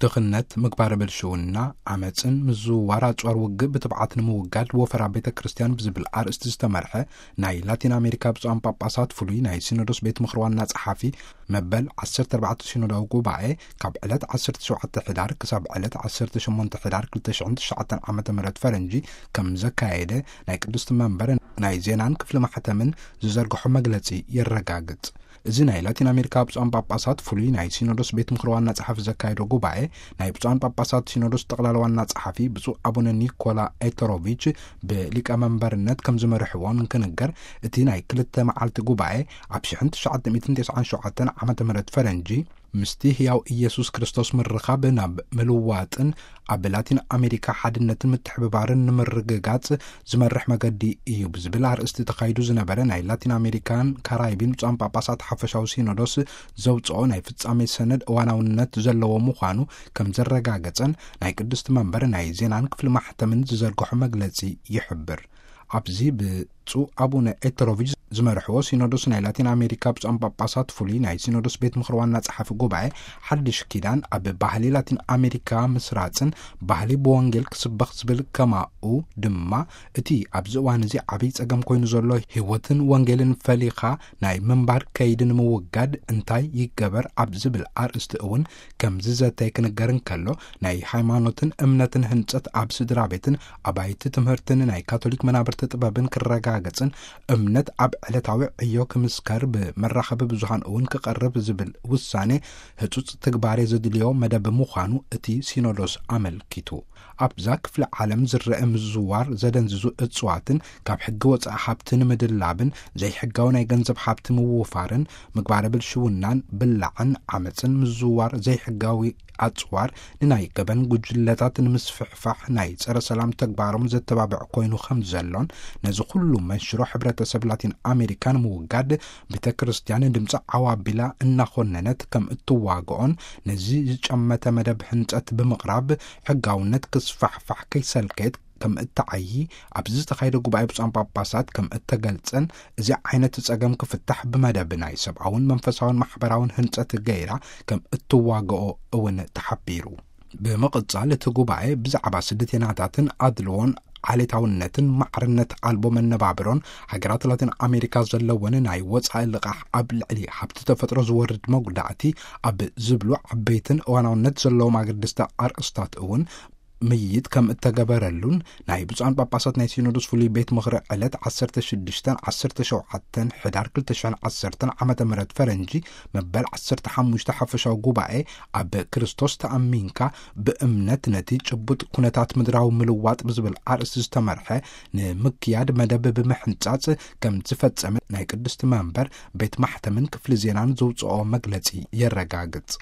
ድኽነት፣ ምግባረ ብልሽውና፣ ዓመፅን ምዝውዋር ኣፅዋር ውግእ ብትብዓት ንምውጋድ ወፈራ ቤተ ክርስቲያን ብዝብል ኣርእስቲ ዝተመርሐ ናይ ላቲን ኣሜሪካ ብፁዓን ጳጳሳት ፍሉይ ናይ ሲኖዶስ ቤት ምኽሪ ዋና ጸሓፊ መበል ዓሰርተ ኣርባዕተ ሲኖዳዊ ጉባኤ ካብ ዕለት ዓሰርተ ሸውዓተ ሕዳር ክሳብ ዕለት ዓሰርተ ሸሞንተ ሕዳር ክልተ ሽሕን ትሽዓተን ዓመተ ምህረት ፈረንጂ ከም ዘካየደ ናይ ቅድስቲ መንበር ናይ ዜናን ክፍሊ ማሕተምን ዝዘርግሖ መግለጺ የረጋግጽ። እዚ ናይ ላቲን ኣሜሪካ ብፁዓን ጳጳሳት ፍሉይ ናይ ሲኖዶስ ቤት ምኽሪ ዋና ጸሓፊ ዘካየዶ ጉባኤ፣ ናይ ብፁዓን ጳጳሳት ሲኖዶስ ጠቕላላ ዋና ጸሓፊ ብፁዕ ኣቡነ ኒኮላ ኤተሮቪች ብሊቀ መንበርነት ከም ዝመርሕዎ እንክንገር፣ እቲ ናይ ክልተ መዓልቲ ጉባኤ ኣብ ሽሕን ትሽዓተ ሚእትን ተስዓን ሸውዓተን ዓመተ ምህረት ፈረንጂ ምስቲ ህያው ኢየሱስ ክርስቶስ ምርኻብ ናብ ምልዋጥን ኣብ ላቲን ኣሜሪካ ሓድነትን ምትሕብባርን ንምርግጋጽ ዝመርሕ መገዲ እዩ ብዝብል ኣርእስቲ ተኻይዱ ዝነበረ ናይ ላቲን ኣሜሪካን ካራይቢን ብፁዓን ጳጳሳት ሓፈሻዊ ሲኖዶስ ዘውፅኦ ናይ ፍጻሜ ሰነድ እዋናውነት ዘለዎ ምዃኑ ከም ዘረጋገጸን ናይ ቅድስቲ መንበር ናይ ዜናን ክፍሊ ማሕተምን ዝዘርግሖ መግለጺ ይሕብር። ኣብዚ ብፁዕ ኣቡነ ኤተሮቪች ዝመርሕዎ ሲኖዶስ ናይ ላቲን ኣሜሪካ ብፁዓን ጳጳሳት ፍሉይ ናይ ሲኖዶስ ቤት ምኽሪ ዋና ጸሓፊ ጉባኤ ሓድሽ ኪዳን ኣብ ባህሊ ላቲን ኣሜሪካ ምስራጽን ባህሊ ብወንጌል ክስበኽ ዝብል ከማኡ ድማ እቲ ኣብዚ እዋን እዚ ዓብይ ጸገም ኮይኑ ዘሎ ህይወትን ወንጌልን ፈሊኻ ናይ ምንባር ከይዲ ንምውጋድ እንታይ ይገበር ኣብ ዝብል ኣርእስቲ እውን ከም ዝዘተየ ክንገር እንከሎ፣ ናይ ሃይማኖትን እምነትን ህንጸት ኣብ ስድራ ቤትን ኣባይቲ ትምህርትን ናይ ካቶሊክ መናብርቲ ጥበብን ክረጋገጽን እምነት ኣብ ዕለታዊ ዕዮ ክምስከር ብመራኸቢ ብዙሃን እውን ክቐርብ ዝብል ውሳኔ ህጹጽ ትግባሬ ዘድልዮ መደብ ምዃኑ እቲ ሲኖዶስ ኣመልኪቱ። ኣብዛ ክፍለ ዓለም ዝረአ ምዝዋር ዘደንዝዙ እጽዋትን ካብ ሕጊ ወጻኢ ሃብቲ ንምድላብን ዘይሕጋዊ ናይ ገንዘብ ሃብቲ ምውፋርን ምግባረ ብልሽውናን ብላዕን ዓመፅን ምዝዋር ዘይሕጋዊ ኣጽዋር ንናይ ገበን ጉጅለታት ንምስፍሕፋሕ ናይ ጸረ ሰላም ተግባሮም ዘተባብዕ ኮይኑ ከም ዘሎን ነዚ ኩሉ መንሽሮ ሕብረተሰብ ላቲን ኣሜሪካ ንምውጋድ ቤተ ክርስቲያን ድምፂ ዓዋቢላ እናኾነነት ከም እትዋግኦን ነዚ ዝጨመተ መደብ ህንጸት ብምቕራብ ሕጋውነት ክስፋሕፋሕ ከይሰልከየት ከም እተዓዪ ኣብዚ ዝተኻየደ ጉባኤ ብፁዓን ጳጳሳት ከም እተገልጸን እዚ ዓይነት ጸገም ክፍታሕ ብመደብ ናይ ሰብኣውን መንፈሳውን ማሕበራውን ህንጸት ገይራ ከም እትዋግኦ እውን ተሓቢሩ። ብምቕጻል እቲ ጉባኤ ብዛዕባ ስደተኛታትን ኣድልዎን ዓሌታውነትን ማዕርነት ኣልቦ መነባብሮን ሃገራት ላቲን ኣሜሪካ ዘለወን ናይ ወጻኢ ልቓሕ ኣብ ልዕሊ ሃብቲ ተፈጥሮ ዝወርድ መጉዳእቲ ኣብ ዝብሉ ዓበይትን እዋናውነት ዘለዎም ኣገደስቲ ኣርእስታት እውን ምይይጥ ከም እተገበረሉን ናይ ብፁዓን ጳጳሳት ናይ ሲኖዶስ ፍሉይ ቤት ምኽሪ ዕለት ዓሰርተ ሽዱሽተን ዓሰርተ ሸውዓተን ሕዳር ክልተ ሽሕን ዓሰርተን ዓመተ ምህረት ፈረንጂ መበል ዓሰርተ ሓሙሽተ ሓፈሻዊ ጉባኤ ኣብ ክርስቶስ ተኣሚንካ ብእምነት ነቲ ጭቡጥ ኩነታት ምድራዊ ምልዋጥ ብዝብል ኣርእስቲ ዝተመርሐ ንምክያድ መደብ ብምሕንጻጽ ከም ዝፈጸመ ናይ ቅድስቲ መንበር ቤት ማሕተምን ክፍሊ ዜናን ዘውፅኦ መግለጺ የረጋግጽ።